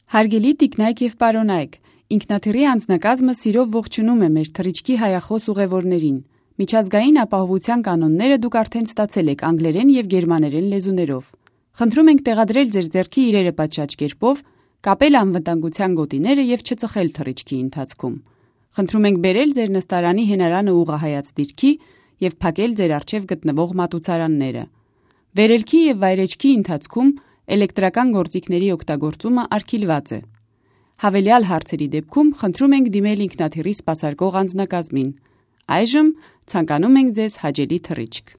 Հարգելի տիկնայք եւ պարոնայք, ինքնաթիռի անձնակազմը սիրով ողջունում է մեր թռիչքի հայախոս ուղևորներին։ Միջազգային ապահովության կանոնները դուք արդեն ստացել եք անգլերեն եւ գերմաներեն լեզուներով։ Խնդրում ենք տեղադրել ձեր ձեռքի իրերը պատշաճ կերպով, կապել անվտանգության գոտիները եւ չծխել թռիչքի ընթացքում։ Խնդրում ենք բերել ձեր նստարանի հենարանը ուղղահայաց դիրքի եւ փակել ձեր առջեւ գտնվող մատուցարանները։ Վերելքի եւ վայրեջքի ընթացքում էլեկտրական գործիքների օգտագործումը արգելված է։ Հավելյալ հարցերի դեպքում խնդրում ենք դիմել ինքնաթիռի սպասարկող անձնակազմին։ Այժմ ցանկանում ենք ձեզ հաճելի թռիչք։